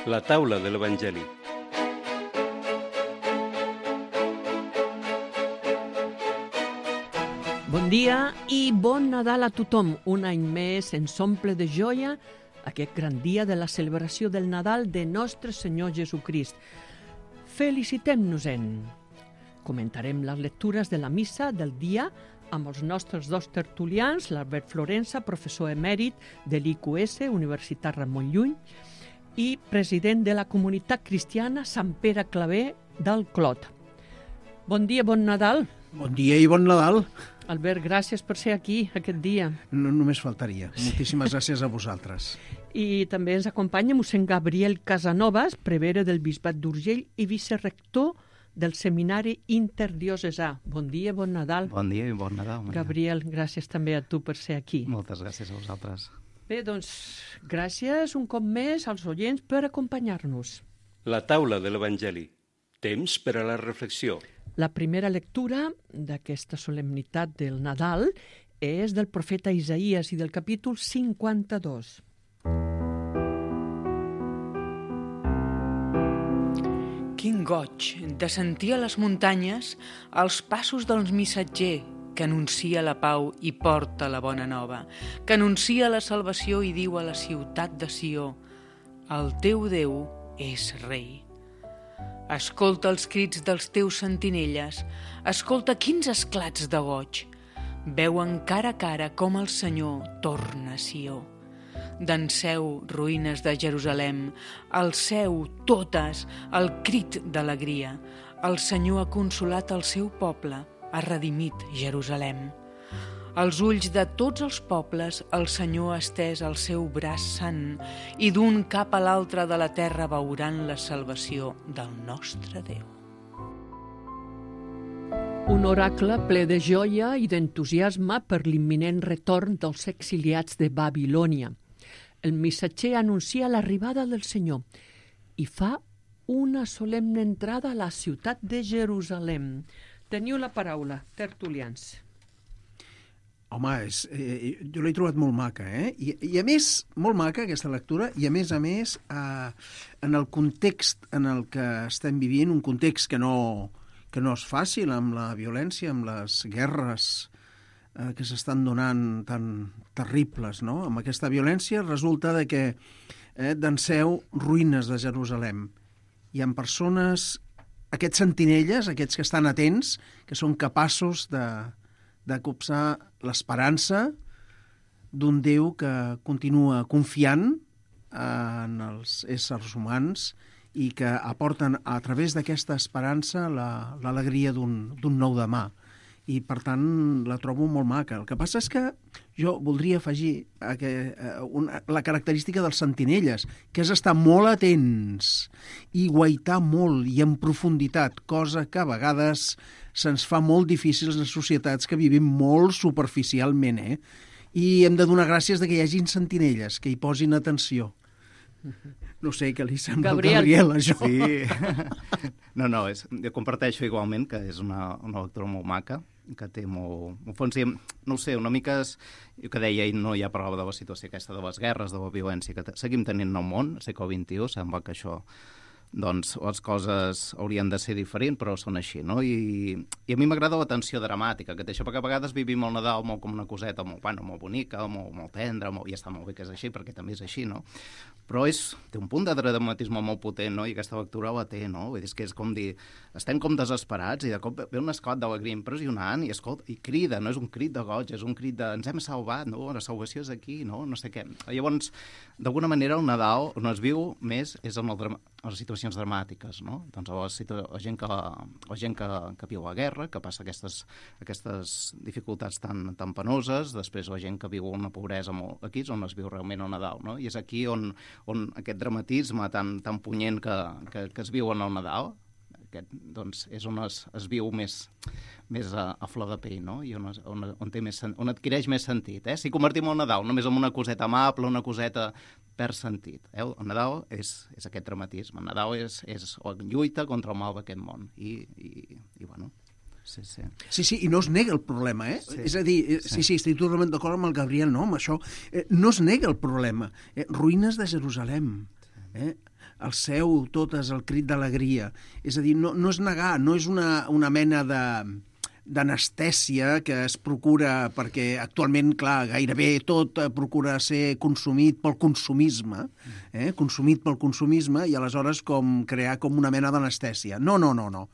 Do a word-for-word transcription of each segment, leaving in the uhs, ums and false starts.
La taula de l'Evangeli. Bon dia i bon Nadal a tothom. Un any més ens omple de joia aquest gran dia de la celebració del Nadal de nostre Senyor Jesucrist. Felicitem-nos-en. Comentarem les lectures de la missa del dia amb els nostres dos tertulians, l'Albert Florensa, professor emèrit de l'I Q S, Universitat Ramon Llull, i president de la comunitat cristiana Sant Pere Claver del Clot. Bon dia, bon Nadal. Bon dia i bon Nadal. Albert, gràcies per ser aquí aquest dia. No, només faltaria. Moltíssimes gràcies a vosaltres. I també ens acompanya mossèn Gabriel Casanovas, prevere del Bisbat d'Urgell i vicerector del Seminari Interdiocesà. Bon dia, bon Nadal. Bon dia i bon Nadal. Maria. Gabriel, gràcies també a tu per ser aquí. Moltes gràcies a vosaltres. Bé, doncs, gràcies un cop més als oients per acompanyar-nos. La taula de l'Evangeli. Temps per a la reflexió. La primera lectura d'aquesta solemnitat del Nadal és del profeta Isaïes i del capítol cinquanta-dos. Quin goig de sentir a les muntanyes els passos del missatger que anuncia la pau i porta la bona nova, que anuncia la salvació i diu a la ciutat de Sió: el teu Déu és rei. Escolta els crits dels teus sentinelles, escolta quins esclats de goig. Veuen cara a cara com el Senyor torna a Sió. Danseu, ruïnes de Jerusalem, alceu totes el crit d'alegria. El Senyor ha consolat el seu poble, ha redimit Jerusalem. Als ulls de tots els pobles el Senyor ha estès el seu braç sant i d'un cap a l'altre de la terra veuran la salvació del nostre Déu. Un oracle ple de joia i d'entusiasme per l'imminent retorn dels exiliats de Babilònia. El missatger anuncia l'arribada del Senyor i fa una solemne entrada a la ciutat de Jerusalem. Teniu la paraula, tertulians. Home, és, eh, jo l'he trobat molt maca, eh? I, I a més, molt maca aquesta lectura, i a més a més, eh, en el context en el que estem vivint, un context que no, que no és fàcil, amb la violència, amb les guerres eh, que s'estan donant tan terribles, no? Amb aquesta violència resulta de que eh, danseu ruïnes de Jerusalem. Hi ha persones, aquests sentinelles, aquests que estan atents, que són capaços de de copsar l'esperança d'un Déu que continua confiant en els éssers humans i que aporten a través d'aquesta esperança la, l'alegria d'un, d'un nou demà. I, per tant, la trobo molt maca. El que passa és que jo voldria afegir a que, a una, la característica dels sentinelles, que és estar molt atents i guaitar molt i en profunditat, cosa que a vegades se'ns fa molt difícils en societats que vivim molt superficialment, eh? I hem de donar gràcies de que hi hagin sentinelles, que hi posin atenció. No sé què li sembla al Gabriel, això. Sí. No, no, és, jo comparteixo igualment que és una, una lectura molt maca, que té molt... En fons, no ho sé, una mica és... Jo que deia, no hi ha prova de la situació aquesta de les guerres, de la violència que seguim tenint al món, al segle vint-i-u, sembla que això... doncs les coses haurien de ser diferents, però són així, no? I, i a mi m'agrada la tensió dramàtica que té això, perquè a vegades vivim el Nadal molt com una coseta molt, bueno, molt bonica, molt, molt tendra, molt, i està molt bé que és així, perquè també és així, no? Però és, té un punt de dramatisme molt potent, no? I aquesta lectura la té, no? Vull dir, és que és com dir, estem com desesperats i de cop ve un esclat d'alegria impressionant i, escolta, i crida, no és un crit de goig, és un crit de ens hem salvat, no? La salvació és aquí, no? No sé què. Llavors, d'alguna manera, el Nadal on es viu més és en el drama, les situacions dramàtiques, no? Doncs la, situa- la gent, que, la gent que, que viu la guerra, que passa aquestes, aquestes dificultats tan, tan penoses, després la gent que viu una pobresa molt... Aquí és on es viu realment el Nadal, no? I és aquí on, on aquest dramatisme tan, tan punyent que, que, que es viu en el Nadal, aquest, doncs és on es, es viu més, més a, a flor de pell, no? I on, es, on, on, té més, on adquireix més sentit. Eh? Si convertim el Nadal només en una coseta amable, una coseta perd sentit. Eh? El Nadal és, és aquest dramatisme. El Nadal és, és la lluita contra el mal d'aquest món. I, i, i bueno... Sí, sí. Sí, sí, i no es nega el problema, eh? Sí. És a dir, eh, sí, sí, estic totalment d'acord amb el Gabriel, no, amb això. Eh, no es nega el problema. Eh, ruïnes de Jerusalem. eh? El seu, tot és el crit d'alegria. És a dir, no, no és negar, no és una, una mena de d'anestèsia que es procura, perquè actualment, clar, gairebé tot procura ser consumit pel consumisme, eh? consumit pel consumisme, i aleshores com crear com una mena d'anestèsia. No, no, no, no.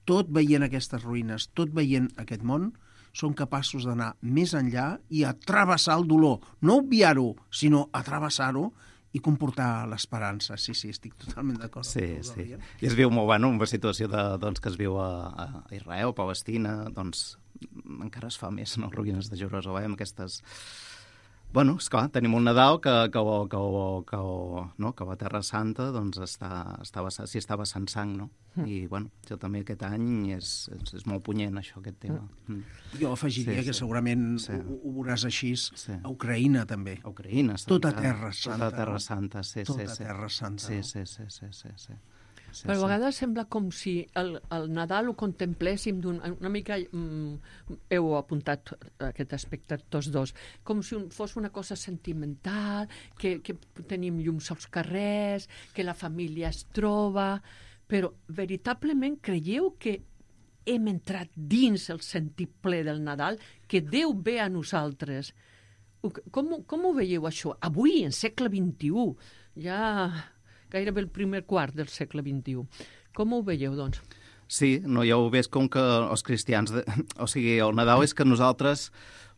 Tot veient aquestes ruïnes, tot veient aquest món, són capaços d'anar més enllà i a travessar el dolor. No obviar-ho, sinó a travessar-ho i comportar l'esperança. Sí, sí, estic totalment d'acord. Sí, sí. I es viu molt, bueno, una situació de, doncs, que es viu a, a Israel, Palestina, doncs encara es fa més, no? Ruïnes de Jerusalem, aquestes... Bueno, esclar, tenim un Nadal que, que, que, que, no? que a la Terra Santa doncs està, estava, s'hi estava sense sang, no? Mm. I, bueno, jo també aquest any és, és, és molt punyent, això, aquest tema. Mm. Jo afegiria sí, que sí. segurament sí. ho, ho veuràs així sí. a Ucraïna, també. A Ucraïna. Tota Terra Santa. Tota Terra Santa, sí, tota sí. Tota Terra Santa. Sí, sí, sí, sí, sí, sí. Sí, Però a sí. vegades sembla com si el, el Nadal ho contempléssim d'un, una mica, mm, heu apuntat aquest aspecte tots dos, com si un, fos una cosa sentimental, que, que tenim llums als carrers, que la família es troba, però veritablement creieu que hem entrat dins el sentit ple del Nadal, que Déu ve a nosaltres? Com, com ho veieu això? Avui, en segle vint-i-u, ja... gairebé el primer quart del segle vint-i-u. Com ho veieu, doncs? Sí, no, ja ho veig com que els cristians... De... O sigui, el Nadal és que nosaltres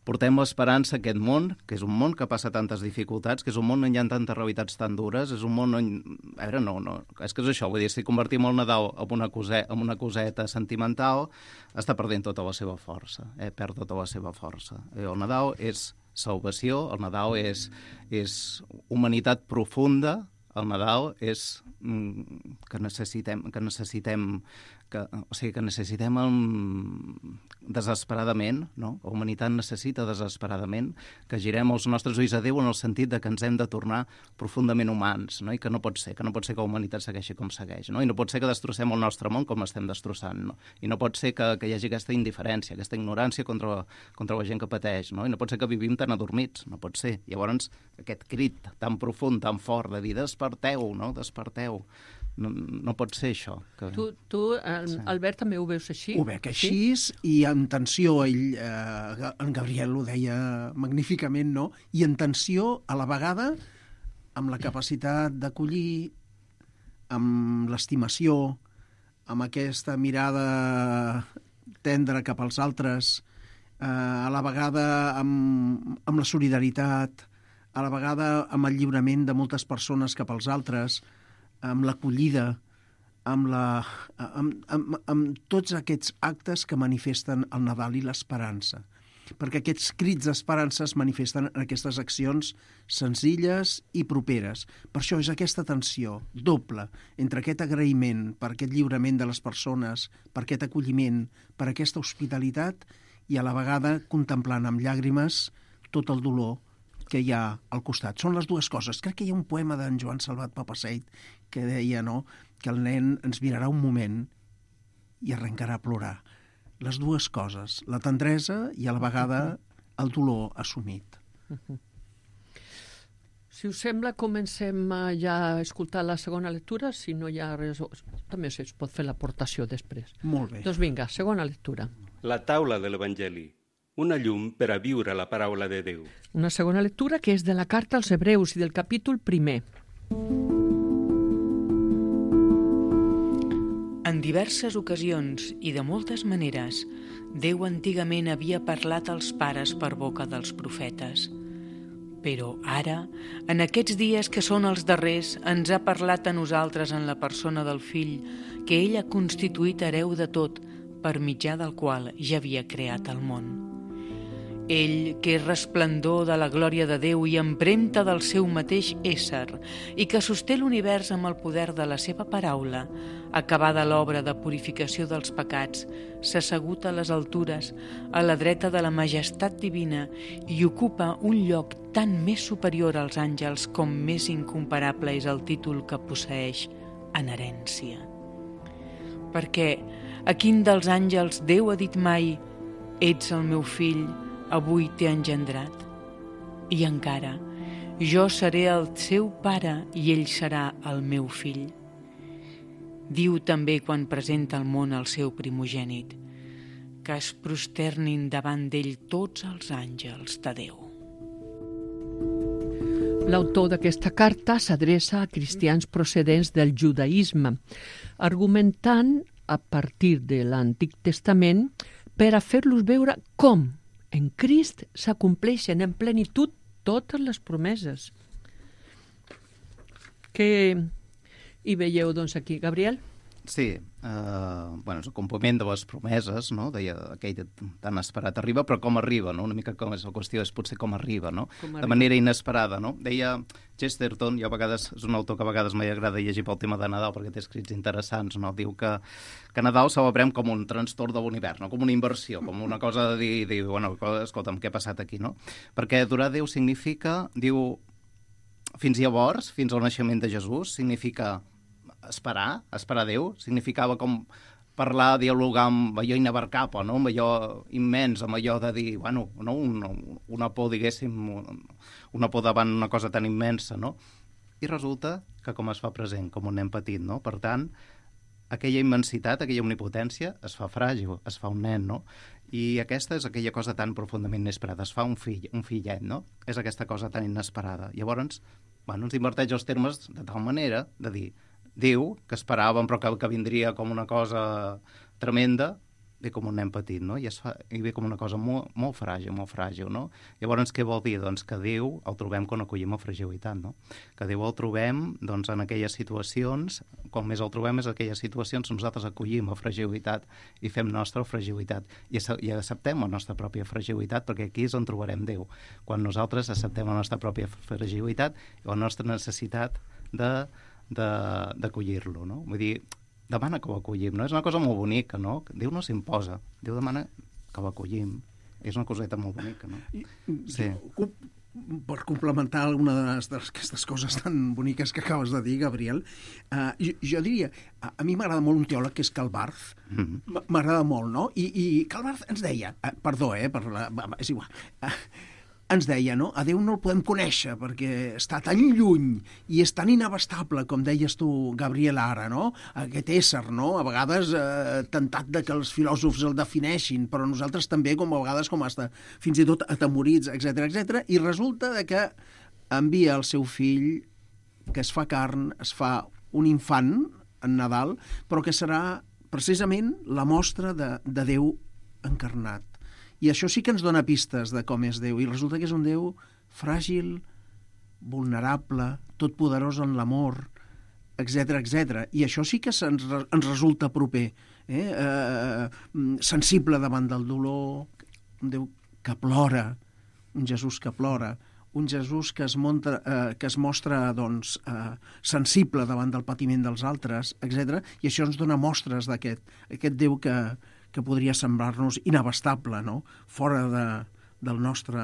portem l'esperança a aquest món, que és un món que passa tantes dificultats, que és un món on hi ha tantes realitats tan dures, és un món on... A veure, no, no, és que és això, vull dir, si convertim el Nadal en una, cose... en una coseta sentimental, està perdent tota la seva força, eh? Perd tota la seva força. El Nadal és salvació, el Nadal és, és humanitat profunda, el Nadal és mm, que necessitem, que necessitem, que, o sigui, que necessitem um, desesperadament, no? La humanitat necessita desesperadament que girem els nostres ulls a Déu en el sentit de que ens hem de tornar profundament humans, no? I que no pot ser, que no pot ser que la humanitat segueixi com segueix, no? I no pot ser que destrossem el nostre món com estem destrossant, no? I no pot ser que, que hi hagi aquesta indiferència, aquesta ignorància contra, contra la gent que pateix, no? I no pot ser que vivim tan adormits, no pot ser. Llavors, aquest crit tan profund, tan fort de dir desperteu, no? Desperteu. No, no pot ser això. Que... Tu, tu el, sí. Albert, també ho veus així? Ho veig així, sí? I en tensió, ell, eh, en Gabriel ho deia magníficament, no? I en tensió, a la vegada, amb la capacitat d'acollir, amb l'estimació, amb aquesta mirada tendra cap als altres, eh, a la vegada amb, amb la solidaritat, a la vegada amb el lliurament de moltes persones cap als altres, amb l'acollida, amb, la, amb, amb, amb tots aquests actes que manifesten el Nadal i l'esperança. Perquè aquests crits d'esperança es manifesten en aquestes accions senzilles i properes. Per això és aquesta tensió doble entre aquest agraïment per aquest lliurament de les persones, per aquest acolliment, per aquesta hospitalitat i a la vegada contemplant amb llàgrimes tot el dolor que hi ha al costat. Són les dues coses. Crec que hi ha un poema d'en Joan Salvat Papasseit que deia, no?, que el nen ens mirarà un moment i arrencarà a plorar. Les dues coses, la tendresa i a la vegada el dolor assumit. Si us sembla, comencem ja a escoltar la segona lectura, si no hi ha res... També es pot fer l'aportació després. Molt bé. Doncs vinga, segona lectura. La taula de l'Evangeli. Una llum per a viure la paraula de Déu. Una segona lectura que és de la carta als Hebreus i del capítol primer. En diverses ocasions i de moltes maneres, Déu antigament havia parlat als pares per boca dels profetes. Però ara, en aquests dies que són els darrers, ens ha parlat a nosaltres en la persona del Fill, que ell ha constituït hereu de tot, per mitjà del qual ja havia creat el món. Ell, que és resplendor de la glòria de Déu i empremta del seu mateix ésser, i que sosté l'univers amb el poder de la seva paraula, acabada l'obra de purificació dels pecats, s'ha assegut a les altures, a la dreta de la majestat divina, i ocupa un lloc tan més superior als àngels com més incomparable és el títol que posseeix en herència. Perquè a quin dels àngels Déu ha dit mai «Ets el meu fill, avui t'he engendrat»? I encara, Jo seré el seu pare i ell serà el meu fill. Diu també quan presenta al món el seu primogènit, que es prosternin davant d'ell tots els àngels de Déu. L'autor d'aquesta carta s'adreça a cristians procedents del judaïsme, argumentant a partir de l'Antic Testament per a fer-los veure com en Crist s'acompleixen en plenitud totes les promeses. Què hi veieu, doncs, aquí, Gabriel? Sí, eh, bueno, és el compliment de les promeses, no? Deia, aquell tan esperat arriba, però com arriba, no? Una mica com és la qüestió, és potser com arriba, no? Com arriba. De manera inesperada, no? Deia Chesterton, jo a vegades, és un autor que a vegades m'agrada llegir pel tema de Nadal, perquè té escrits interessants, no? Diu que, que Nadal celebrem com un trastorn de l'univers, no? Com una inversió, com una cosa de dir, dir bueno, escolta'm, què ha passat aquí, no? Perquè adorar Déu significa, diu, fins llavors, fins al naixement de Jesús, significa esperar, esperar Déu, significava com parlar, dialogar amb allò inabarcable, no? Amb allò immens, amb allò de dir, bueno, no? una, una por, diguéssim, una por davant una cosa tan immensa, no? I resulta que com es fa present, com un nen petit, no? Per tant, aquella immensitat, aquella omnipotència es fa fràgil, es fa un nen, no? I aquesta és aquella cosa tan profundament inesperada, es fa un fill, un fillet, no? És aquesta cosa tan inesperada. Llavors, bueno, ens inverteix els termes de tal manera de dir, Déu, que esperàvem però que, que vindria com una cosa tremenda, ve com un nen petit, no? I, es fa, i ve com una cosa molt, molt fràgil, molt fràgil, no? Llavors, què vol dir? Doncs que Déu el trobem quan acollim la fragilitat, no? Que Déu el trobem, doncs, en aquelles situacions, quan més el trobem és en aquelles situacions on nosaltres acollim la fragilitat i fem nostra fragilitat i, i acceptem la nostra pròpia fragilitat, perquè aquí és on trobarem Déu, quan nosaltres acceptem la nostra pròpia fragilitat i la nostra necessitat de d'acollir-lo, no? Vull dir, demana que ho acollim, no? És una cosa molt bonica, no? Déu no s'imposa, Déu demana que l'acollim. És una coseta molt bonica, no? Sí. Per complementar alguna d'aquestes coses tan boniques que acabes de dir, Gabriel, uh, jo, jo diria, a, a mi m'agrada molt un teòleg que és Karl Barth, mm-hmm. m'agrada molt, no? I, i Karl Barth ens deia, uh, perdó, eh, per la, és igual, uh, ens deia, no? A Déu no el podem conèixer perquè està tan lluny i és tan inabastable, com deies tu, Gabriel, ara, no? Aquest ésser, no? A vegades eh, tentat de que els filòsofs el defineixin, però nosaltres també, com a vegades, com hasta, fins i tot atemorits, etcètera, etcètera. I resulta de que envia el seu fill, que es fa carn, es fa un infant en Nadal, però que serà precisament la mostra de, de Déu encarnat. I això sí que ens dona pistes de com és Déu. I resulta que és un Déu fràgil, vulnerable, totpoderós en l'amor, etcètera, etcètera. I això sí que ens, ens resulta proper. Eh? Eh, sensible davant del dolor, un Déu que plora, un Jesús que plora, un Jesús que es, monta, eh, que es mostra doncs, eh, sensible davant del patiment dels altres, etcètera. I això ens dona mostres d'aquest aquest Déu que que podria semblar-nos inabastable, no? Fora de, del, nostre,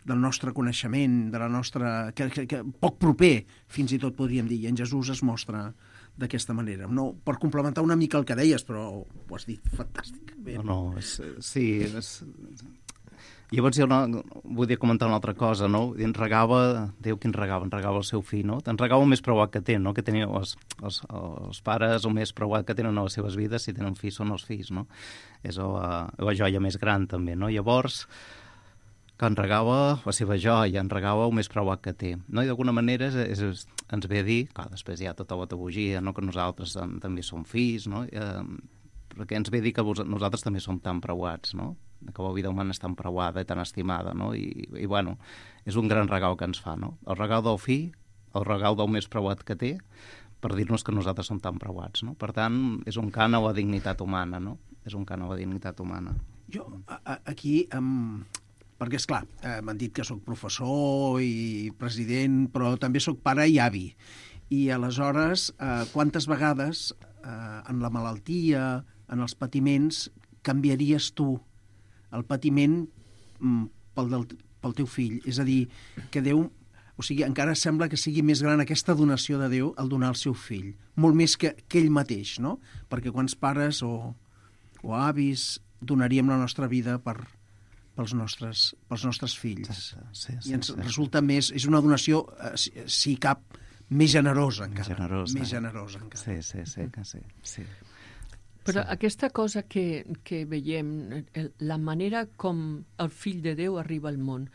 del nostre coneixement, de la nostra, que, que, que poc proper, fins i tot podríem dir, i en Jesús es mostra d'aquesta manera. No, per complementar una mica el que deies, però ho has dit fantàsticament. No, no, és, sí, és... Llavors jo no, vull dir comentar una altra cosa, no? Ens regava, Déu qui ens regava, ens regava el seu fill, no? Ens regava el més preuat que té, no? Que tenen els, els, els pares, el més preuat que tenen a les seves vides, si tenen fills són els fills, no? És la, la joia més gran, també, no? Llavors, que ens regava la seva joia, ens regava el més preuat que té, no? I d'alguna manera és, és, ens ve a dir, clar, després hi ha tota la teologia, no? Que nosaltres també som fills, no? Eh, perquè ens ve a dir que vos, nosaltres també som tan preuats, no? Que la vida humana és tan preuada i tan estimada, no? I, i bueno, és un gran regal que ens fa, no? El regal del fill, el regal del més preuat que té, per dir-nos que nosaltres som tan preuats, no? Per tant, és un cant a la dignitat humana, no? És un cant a la dignitat humana. Jo, a, a, aquí, um, perquè, esclar, eh, m'han dit que sóc professor i president, però també sóc pare i avi. I aleshores, eh, quantes vegades eh, en la malaltia, en els patiments, canviaries tu el patiment mm, pel, del, pel teu fill? És a dir, que Déu, o sigui, encara sembla que sigui més gran aquesta donació de Déu al donar el seu fill, molt més que, que ell mateix, no? Perquè quants pares o, o avis donaríem la nostra vida per, pels nostres, pels nostres fills. Sí, sí, I ens sí. resulta més... És una donació, eh, si, si cap, més generosa encara. Més generosa. Més generosa encara. Sí, sí, sí, que sí. sí. Però Sí. aquesta cosa que, que veiem, el, la manera com el fill de Déu arriba al món,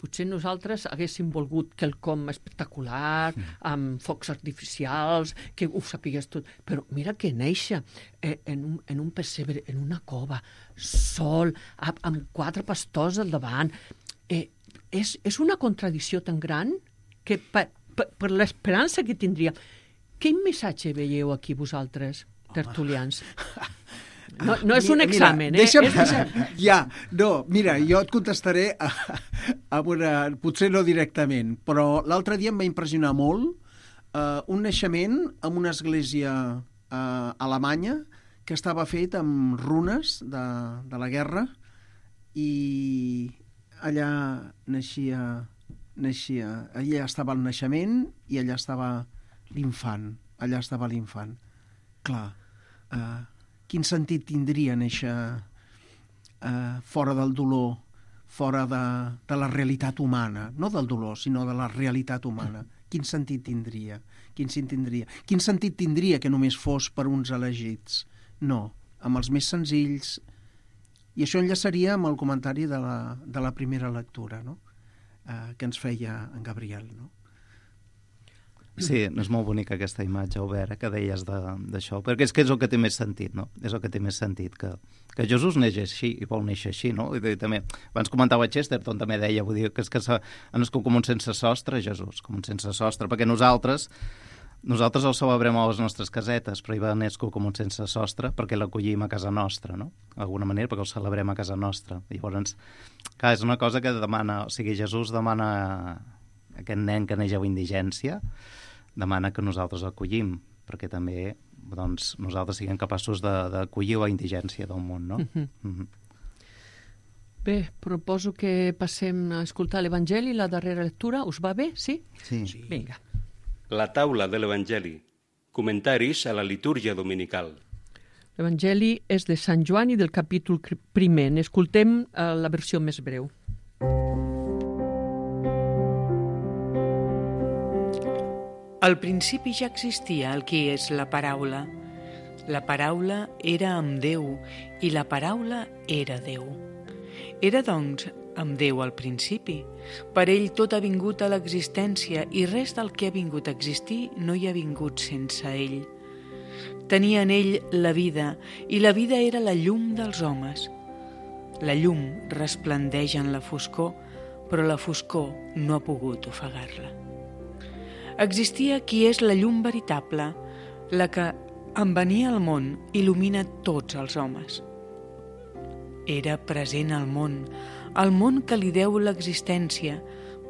potser nosaltres haguéssim volgut quelcom espectacular, mm. amb focs artificials, que ho sapigués tot, però mira que néixer eh, en, un, en un pessebre, en una cova, sol, amb, amb quatre pastors al davant, eh, és, és una contradicció tan gran que per, per, per l'esperança que tindria. Quin missatge veieu aquí vosaltres, tertulians? No, no és un examen, mira, deixa'm, eh? És... Ja, no, mira, jo et contestaré a, a una, potser no directament, però l'altre dia em va impressionar molt uh, un naixement en una església uh, alemanya que estava fet amb runes de, de la guerra i allà naixia, naixia, allà estava el naixement i allà estava l'infant, allà estava l'infant. Clar, uh, quin sentit tindria néixer eh, fora del dolor, fora de, de la realitat humana, no del dolor, sinó de la realitat humana. Quin sentit tindria? Quin sentit tindria? Quin sentit tindria que només fos per uns elegits? No, amb els més senzills. I això enllaçaria amb el comentari de la, de la primera lectura, no? eh, que ens feia en Gabriel, no? Sí, és molt bonica aquesta imatge, Albert, eh, que deies d'això, perquè és que és el que té més sentit, no? És el que té més sentit, que, que Jesús neix així i vol néixer així, no? I també, abans comentava Chesterton, també deia, vull dir, que és que ha nascut com un sense sostre, Jesús, com un sense sostre, perquè nosaltres nosaltres el celebrem a les nostres casetes, però ell va néixer com un sense sostre perquè l'acollim a casa nostra, no? D'alguna manera, perquè el celebrem a casa nostra. I llavors, clar, és una cosa que demana, o sigui, Jesús demana a aquest nen que neix a la indigència, demana que nosaltres l'acollim, perquè també doncs, nosaltres siguem capaços d'acollir la indigència del món, no? Mm-hmm. Mm-hmm. Bé, proposo que passem a escoltar l'Evangeli, la darrera lectura. Us va bé? Sí? Sí. Sí. Vinga. La taula de l'Evangeli. Comentaris a la litúrgia dominical. L'Evangeli és de Sant Joan i del capítol primer. N'escoltem eh, la versió més breu. Al principi ja existia el que és la paraula. La paraula era amb Déu i la paraula era Déu. Era, doncs, amb Déu al principi. Per ell tot ha vingut a l'existència i res del que ha vingut a existir no hi ha vingut sense ell. Tenia en ell la vida i la vida era la llum dels homes. La llum resplendeix en la foscor, però la foscor no ha pogut ofegar-la. Existia qui és la llum veritable, la que, en venir al món, il·lumina tots els homes. Era present al món, al món que li deu l'existència,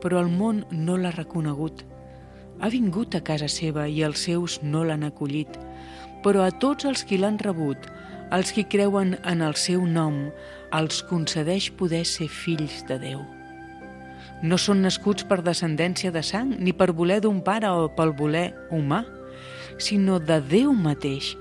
però el món no l'ha reconegut. Ha vingut a casa seva i els seus no l'han acollit, però a tots els qui l'han rebut, els qui creuen en el seu nom, els concedeix poder ser fills de Déu. No són nascuts per descendència de sang, ni per voler d'un pare o pel voler humà, sinó de Déu mateix.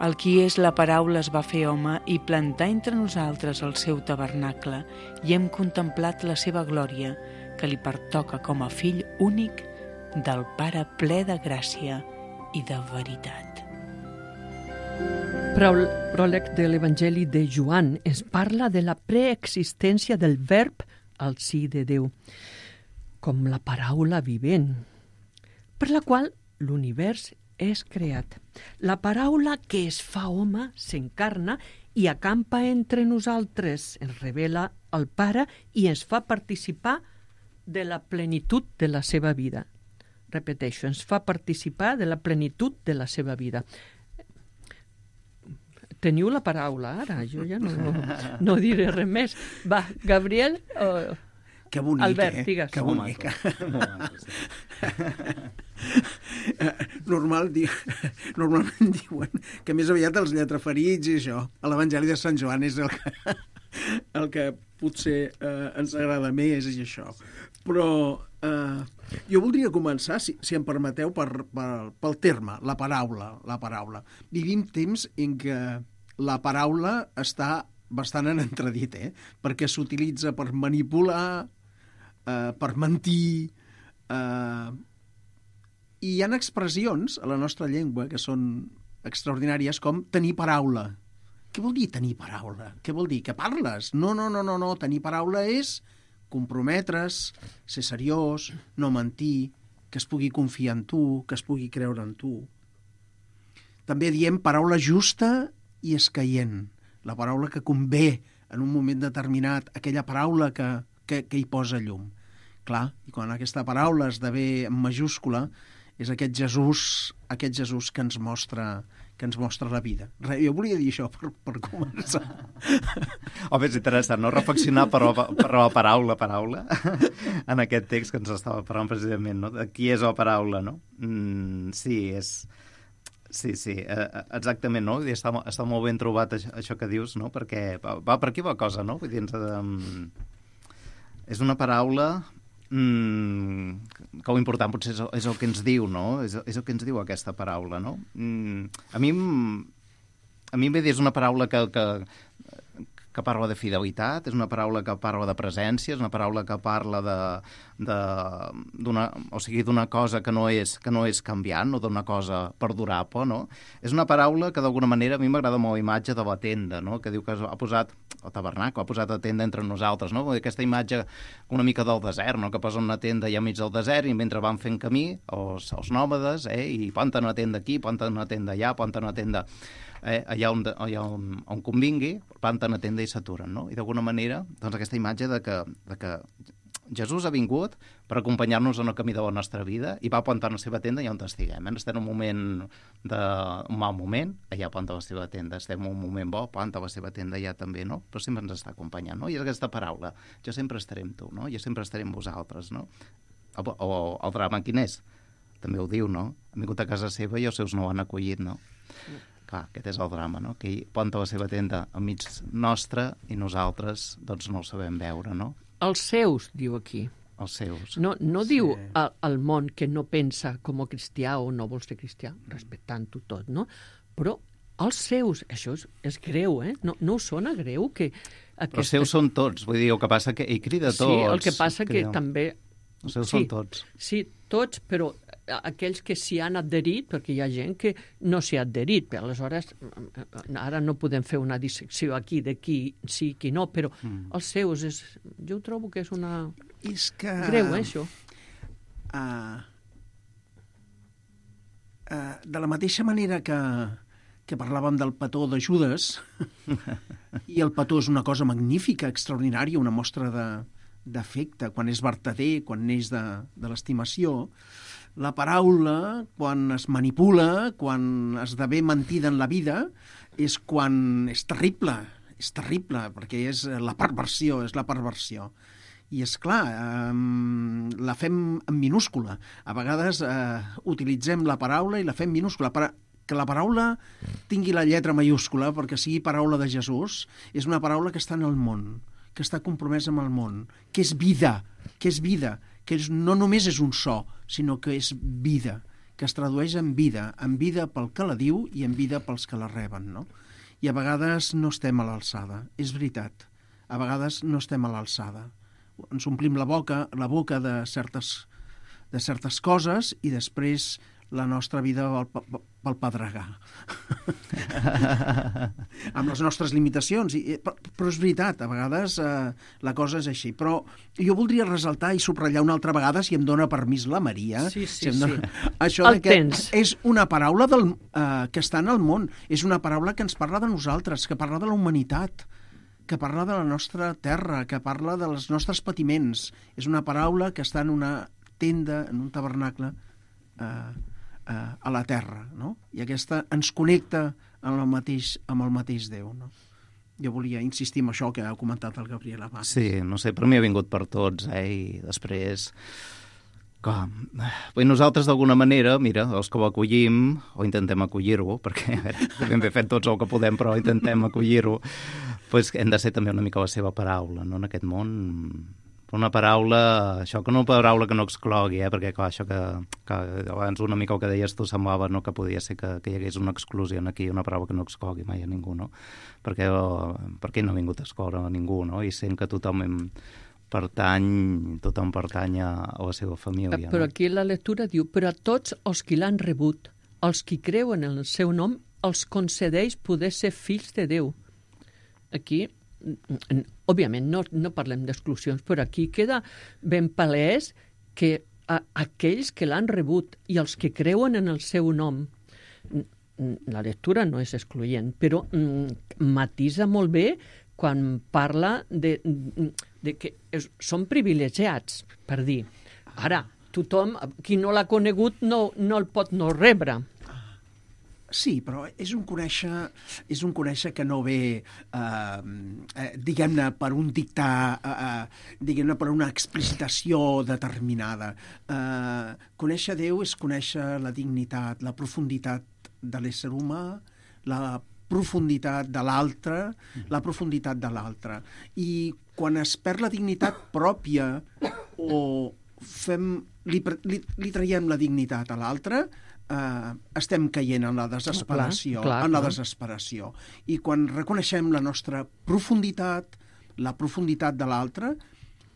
El qui és la paraula es va fer home i plantà entre nosaltres el seu tabernacle i hem contemplat la seva glòria, que li pertoca com a fill únic del Pare ple de gràcia i de veritat. Pròleg de l'Evangeli de Joan ens parla de la preexistència del verb al si de Déu, com la paraula vivent, per la qual l'univers és creat. La paraula que es fa home s'encarna i acampa entre nosaltres, ens revela el Pare i ens fa participar de la plenitud de la seva vida. Repeteixo, ens fa participar de la plenitud de la seva vida. Teniu la paraula ara, jo ja no, no diré res més. Va, Gabriel, uh, que bonic, Albert, eh? digues. Que bonic. Normal, di... Normalment diuen que més aviat els lletraferits i això, a l'Evangeli de Sant Joan és el que, el que potser eh, ens agrada més i això. Però eh, jo voldria començar, si, si em permeteu, per, per, pel terme, la paraula, la paraula. Vivim temps en què la paraula està bastant en entredit, eh? Perquè s'utilitza per manipular, eh, per mentir, eh, i hi ha expressions a la nostra llengua que són extraordinàries, com tenir paraula. Què vol dir tenir paraula? Què vol dir? Que parles? No, no, no, no, no. Tenir paraula és comprometre's, ser seriós, no mentir, que es pugui confiar en tu, que es pugui creure en tu. També diem paraula justa i escaient. La paraula que convé en un moment determinat, aquella paraula que, que, que hi posa llum. Clar, i quan aquesta paraula esdevé en majúscula, és aquest Jesús, aquest Jesús que ens mostra, que ens mostra la vida. Re, jo volia dir això per, per començar. Home, és interessant, no? Reflexionar per, per la paraula, paraula, en aquest text que ens estava parlant precisament, no? De qui és la paraula, no? Mm, sí, és... Sí, sí, exactament, no? Està, està molt ben trobat això, això que dius, no? Perquè va, va per aquí la cosa, no? Vull dir, um, és una paraula... Mm, que el important potser és el, és el que ens diu, no? És, és el que ens diu aquesta paraula, no? Mm, a mi a mi em ve dir, és una paraula que, que, que parla de fidelitat, és una paraula que parla de presència, és una paraula que parla de, de, d'una, o sigui, d'una cosa que no és, que no és canviant, o d'una cosa perdurable, no? És una paraula que d'alguna manera a mi m'agrada molt la imatge de la tenda, no? Que diu que ha posat el tabernacle, ha posat la tenda entre nosaltres, no? Aquesta imatge una mica del desert, no? Que posa una tenda allà enmig del desert i mentre van fent camí els, els nòmades, eh? I planten una tenda aquí, planten una tenda allà, planten una tenda eh? allà, on, allà on, on convingui, planten una tenda i s'aturen, no? I d'alguna manera, doncs aquesta imatge de que, de que Jesús ha vingut per acompanyar-nos en el camí de la nostra vida i va plantar la seva tenda allà on estiguem. Eh? Estem en un moment de... un mal moment, allà planta la seva tenda. Estem en un moment bo, planta la seva tenda allà també, no? Però sempre ens està acompanyant, no? I és aquesta paraula, jo sempre estaré amb tu, no? Jo sempre estaré amb vosaltres, no? O, o el drama quin és? També ho diu, no? Ha vingut a casa seva i els seus no l'han acollit, no? Clar, aquest és el drama, no? Que ell planta la seva tenda enmig nostre i nosaltres, doncs, no el sabem veure, no? Els seus, diu aquí. Els seus. No, no Sí. diu al, al món que no pensa com a cristià o no vol ser cristià, respectant-ho tot, no? Però els seus, això és, és greu, eh? No, no us sona greu que... Aquesta... Però els seus són tots, vull dir, el que passa que ell crida tots. Sí, el que passa que crida. també... Els seus sí, són tots. Sí, tots, però aquells que s'hi han adherit, perquè hi ha gent que no s'hi ha adherit, però aleshores ara no podem fer una dissecció aquí de qui sí, qui no, però mm. els seus, és, jo trobo que és una... És que... Greu, eh, això? Uh, uh, de la mateixa manera que, que parlàvem del petó de Judes, i el petó és una cosa magnífica, extraordinària, una mostra de, d'afecte, quan és vertader, quan neix de, de l'estimació. La paraula, quan es manipula, quan esdevé mentida en la vida, és quan és terrible, és terrible, perquè és la perversió, és la perversió. I és clar, eh, la fem en minúscula. A vegades eh, utilitzem la paraula i la fem minúscula. Per que la paraula tingui la lletra mayúscula, perquè sigui paraula de Jesús, és una paraula que està en el món, que està compromesa amb el món, que és vida, que és vida, que és, no només és un so, sinó que és vida, que es tradueix en vida, en vida pel que la diu i en vida pels que la reben, no? I a vegades no estem a l'alçada, és veritat. A vegades no estem a l'alçada. Ens omplim la boca, la boca de certes, de certes coses i després la nostra vida pel, pel pedregar. Amb les nostres limitacions. I, però és veritat, a vegades eh, la cosa és així. Però jo voldria ressaltar i subratllar una altra vegada, si em dona permís la Maria, sí, sí, si em dona... sí. això El de que tens. és una paraula del, eh, que està en el món, és una paraula que ens parla de nosaltres, que parla de la humanitat, que parla de la nostra terra, que parla dels nostres patiments. És una paraula que està en una tenda, en un tabernacle, eh, a la terra, no? I aquesta ens connecta amb el mateix, amb el mateix Déu, no? Jo volia insistir en això que ha comentat el Gabriel abans. Sí, no sé, per mi ha vingut per tots, eh? I després... Com? Bé, nosaltres, d'alguna manera, mira, els que ho acollim, o intentem acollir-ho, perquè a veure, ben bé fent tots el que podem, però intentem acollir-ho, doncs hem de ser també una mica la seva paraula, no? En aquest món però una paraula, això que no una paraula que no exclogui, eh? Perquè clar, això que, que abans una mica el que deies tu semblava, no?, que podia ser que, que hi hagués una exclusió aquí, una paraula que no exclogui mai a ningú, no? Perquè, perquè no ha vingut a excloure a ningú, no? I sent que tothom pertany, tothom pertany a, a la seva família. Però no? aquí la lectura diu, però a tots els qui l'han rebut, els qui creuen en el seu nom, els concedeix poder ser fills de Déu. Aquí, òbviament, no, no parlem d'exclusions, però aquí queda ben palès que a, aquells que l'han rebut i els que creuen en el seu nom, la lectura no és excloent, però mm, matisa molt bé quan parla de, de que és, són privilegiats, per dir. Ara, tothom, qui no l'ha conegut, no, no el pot no rebre. Sí, però és un conèixer, és un conèixer que no ve, eh, eh, diguem-ne, per un dictar, eh, diguem-ne, per una explicitació determinada. Eh, conèixer Déu és conèixer la dignitat, la profunditat de l'ésser humà, la profunditat de l'altre, la profunditat de l'altre. I quan es perd la dignitat pròpia o fem, li, li, li traiem la dignitat a l'altre, Uh, estem caient en la desesperació, clar, clar, en la clar. desesperació. I quan reconeixem la nostra profunditat, la profunditat de l'altre,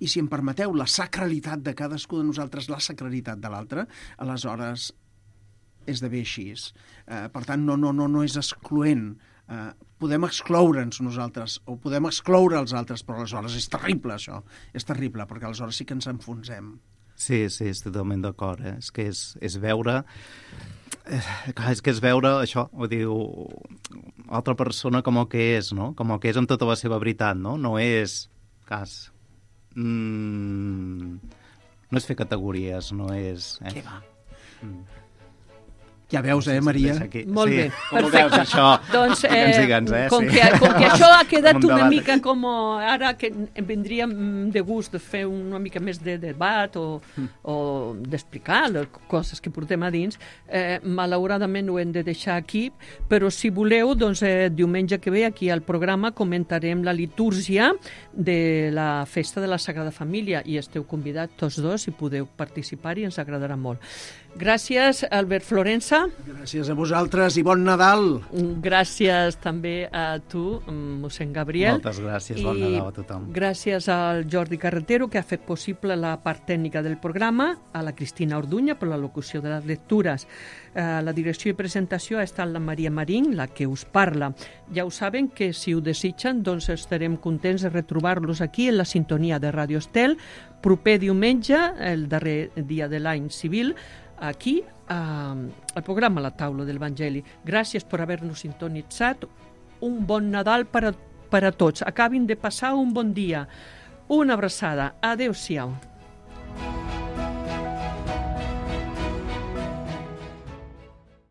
i si em permeteu, la sacralitat de cadascú de nosaltres, la sacralitat de l'altre, aleshores esdevé així. Uh, per tant, no, no, no, no és excloent. Uh, podem excloure'ns nosaltres o podem excloure els altres, però aleshores és terrible, això. És terrible, perquè aleshores sí que ens enfonsem. Sí, sí, estic totalment d'acord. Eh? És que és, és veure... Eh, clar, és que és veure això, ho diu, altra persona com el que és, no? Com el que és amb tota la seva veritat, no? No és cas... Mm, no és fer categories, no és... Eh? Què va? Mm. Ja veus, eh, Maria? Molt sí. bé, Com perfecte. veus, això? Doncs, eh, Que ens diguens, eh? com, Sí. que, com que això ha quedat Un una debat. mica com ara que em vendria de gust de fer una mica més de debat o, mm. o d'explicar les coses que portem a dins, eh, malauradament ho hem de deixar aquí, però si voleu, doncs eh, diumenge que ve aquí al programa comentarem la litúrgia de la festa de la Sagrada Família i esteu convidats tots dos i podeu participar i ens agradarà molt. Gràcies, Albert Florença. Gràcies a vosaltres i bon Nadal. Gràcies també a tu, mossèn Gabriel. Moltes gràcies, bon I Nadal a tothom. Gràcies al Jordi Carretero, que ha fet possible la part tècnica del programa, a la Cristina Orduña per la locució de les lectures. A la direcció i presentació ha estat la Maria Marín, la que us parla. Ja ho saben que si ho desitgen, doncs estarem contents de retrobar-los aquí en la sintonia de Ràdio Estel, proper diumenge, el darrer dia de l'any civil, aquí eh, al programa La Taula de l'Evangeli. Gràcies per haver-nos sintonitzat. Un bon Nadal per a, per a tots. Acabin de passar un bon dia. Una abraçada. Adéu-siau.